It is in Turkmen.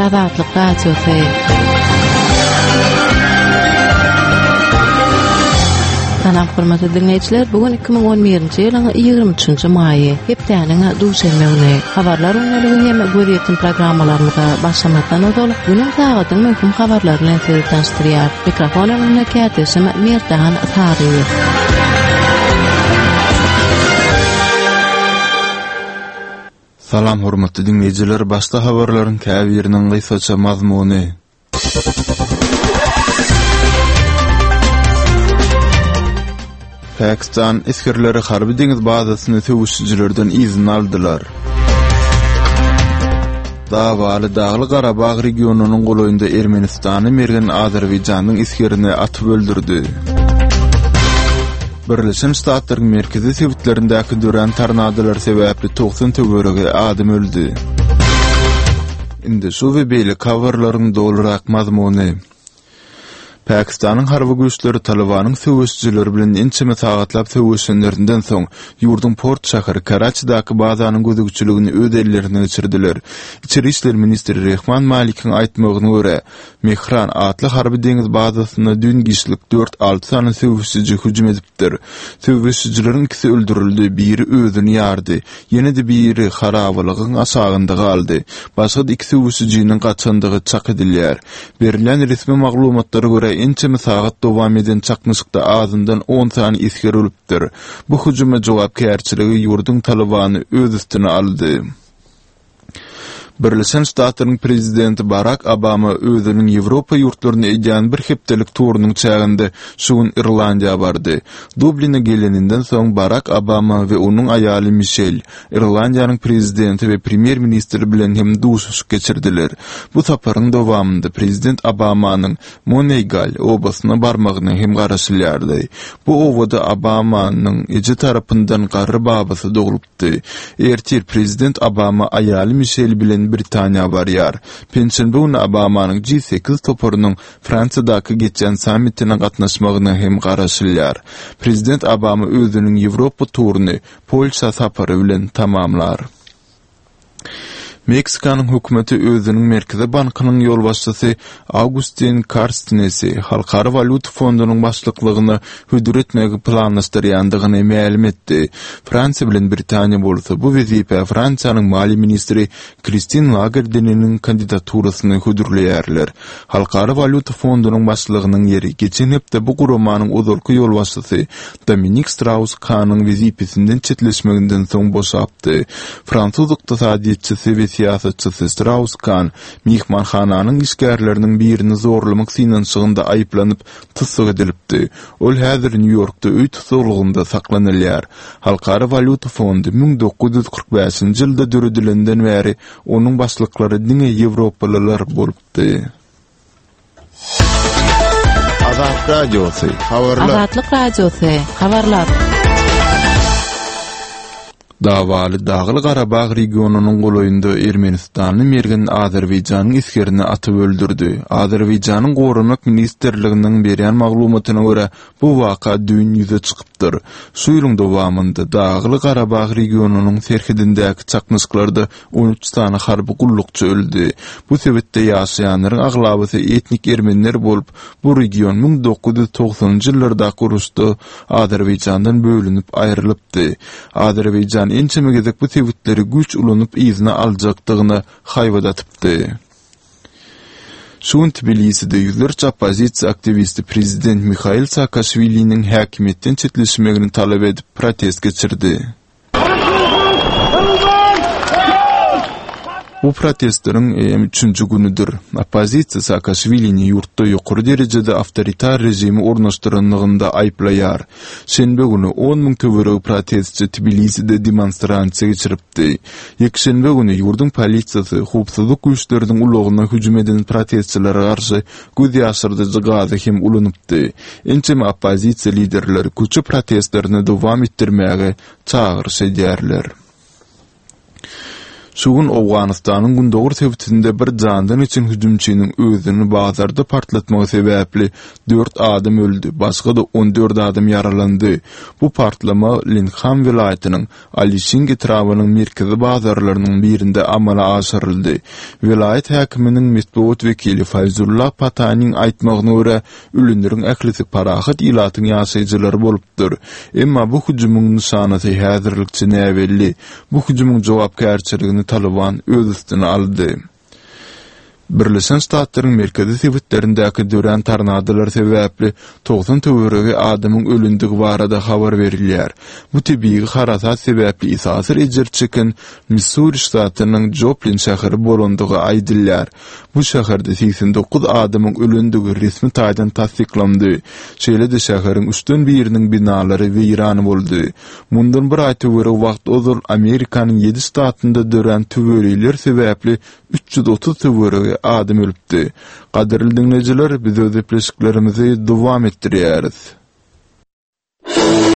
Azatlyk Radiosy. Salam hormatly diňleýjiler, bu gün 2011-nji ýylyň 23-nji maýy, hepdäniň duşenbe güni. Habarlar gündeligi hem gözýetim programmalarymyza başlamazdan ozal, günüň sagadyň möhüm habarlary bilen sizi tanyşdyrýar. Mikrofon öňünde kärdeşim Merdan Saryýew. Salam hormatly diňleýjiler, başda habarlaryň käbiriniň gysgaça mazmuny. Pakistan esgerleri harby deňiz bazasyny söweşijilerden yzyna aldylar. Dawaly Dagly Garabag regionynyň golaýynda Ermenistany mergen Azerbaýjanyň esgerini atyp öldürdi. Birleşen Ştatlaryň merkezi sebitlerindäki dörän tornadolar sebäpli 90 töweregi adam öldi. Indi şu we beýleki habarlaryň dolurak mazmuny. Pakistanyň harby güýçleri Talybanyň söweşijileri bilen ençeme sagatlap söweşenlerinden soň, ýurduň port şäheri Karaçidaky bazanyň gözegçiligini öz ellerine geçirdiler. Içeri işler ministri Rehman Malikiň aýtmagyna görä, Mehran atly harby deňiz bazasyna düýn giçlik dört-alty sany söweşiji hüjüm edipdir. Söweşijileriň ikisi öldürildi, biri özüni ýardy, ýene-de biri harabalygyň aşagynda galdy. Başga-da iki söweşijiniň gaçandygy çak edilýär. Berilýän resmi maglumatlara görä, ençeme sagat dowam eden çaknyşykda azyndan on sany esger ölüpdir. Bu hüjüme jogapkärçiligi ýurduň Talybany öz üstüne aldy. Birleşen Ştatlaryň prezidenti Barak Obama özüniň Ýewropa ýurtlaryna edýän bir hepdelik turunyň çäginde şu gün Irlandiýa bardy. Dubline geleninden soň Barak Obama we onuň aýaly Mişel Irlandiýanyň prezidenti we premýer-ministri bilen hem duşuşyk geçirdiler. Bu saparyň dowamynda prezident Obamanyň Moneýgal obasyna barmagyna hem garaşylýardy. Bu obada Obamanyň eje tarapyndan garry babasy doglup aýtdy. Ertir prezident Obama aýaly Mişel bilen Britaniýa barýar. Penşenbe güni Obamanyň G sekiz toparynyň Fransiýadaky geçýän sammitine gatnaşmagyna hem garaşylýar. Prezident Obama özüniň Ýewropa turuny Polşa sapary bilen tamamlar. Meksikanyň hökümeti özüniň Merkezi bankynyň ýolbaşçysy Augustin Karstnesi Halkara walýuta fondunyň başlyklygyna hödür etmegi planlaşdyrýandygyny mälim etdi. Fransiýa bilen Britaniýa bolsa bu wezipä Fransiýanyň maliýe ministri Kristin Lagardeniň kandidaturasyny hödürleýärler. Halkara walýuta fondunyň başlygynyň ýeri geçen hepde bu guramanyň ozalky ýolbaşçysy Dominik Straus-Kanyň wezipesinden çetleşmeginden soň boşapdy. Fransuz ykdysadyýetçisi we syýasatçysy Straus-Kan myhmanhananyň işgärleriniň birini zorlamak synanyşygynda aýyplanyp, tussag edilipdi. Ol häzir Nýu-Ýorkda öý tussaglygynda saklanylýar. Halkara walýuta fondy 1945-nji ýylda döredilenden bäri onuň başlyklary diňe ýewropalylar bolupdy. Azat Radiosy, habarlar. Azatlyk Radiosy, habarlar. Dawaly Dagly-Garabag regionynyň golaýynda ermenistanly mergen Azerbaýjanyň esgerini atyp öldürdi. Azerbaýjanyň Goranmak ministrliginiň berýän maglumatyna görä, bu waka düýn ýüze çykypdyr. Şu ýylyň dowamynda Dagly-Garabag regionynyň serhedindäki çaknyşyklarda 13 sany harby gullukçy öldi. Bu sebitde ýaşaýanlaryň aglabasy etnik ermeniler bolup, bu region 1990-njy ýyllardaky uruşda Azerbaýjandan bölünip aýrylypdy. Azerbaýjan ençeme gezek bu sebitleri güýç ulanyp yzyna aljakdygyna haýbat atypdy. Şu gün Tbiliside ýüzlerçe oppozisiýa aktiwisti prezident Mihail Saakaşwiliniň häkimiýetden çetleşmegini talap edip protest geçirdi. Bu protestleriň eýýäm üçünji günüdir. Oppozisiýa Saakaşwilini ýurtda ýokary derejede awtoritar režimi ornaşdyranlygynda aýyplaýar. Şenbe güni on müň töweregi protestçi Tbiliside demonstrasiýa geçiripdi. Ýekşenbe güni ýurduň polisiýasy howpsuzlyk güýçleriniň ulagyna hüjüm eden protestçilere garşy göz ýaşardyjy gazy hem ulanypdy. Ençeme oppozisiýa liderleri köçe protestlerini dowam etdirmäge çagyryş edýärler. Şu gün Owganystanyň gündogar sebitinde bir jandan geçen hüjümçiniň özüni bazarda partlatmagy sebäpli dört adam öldi, başga-da 14 adam ýaralandy. Bu partlama Linkham welaýatynyň Alişing etrabynyň merkezi bazarlarynyň birinde amala aşyryldy. Welaýat häkiminiň metbugat wekili Faýzulla Patanyň aýtmagyna görä, ölenleriň ählisi parahat ilatyň ýaşaýjylary bolupdyr. Emma bu hüjümiň nyşanasy häzirlikçe näbelli. Bu hüjümiň jogapkärçiligini Talyban öz üstüne aldy. Birleşen Ştatlaryň merkezi sebitlerindäki dörän tornadolar sebäpli 90 töweregi adamyň ölendigi barada habar berilýär. Bu tebigy harasat sebäpli esasy ejir çeken Missuri ştatynyň Joplin şäheri bolandygy aýdylýar. Bu şäherde 89 adamyň ölendigi resmi taýdan tassyklandy. Şeýle-de şäheriň üçden biriniň binalary weýran boldy. Mundan bir aý töweregi wagt ozal Amerikanyň ýedi ştatynda dörän tüweleýler sebäpli 330 töweregi adam ölüpdi. Gadyrly diňleýjiler, biz öz gepleşiklerimizi dowam etdirýäris.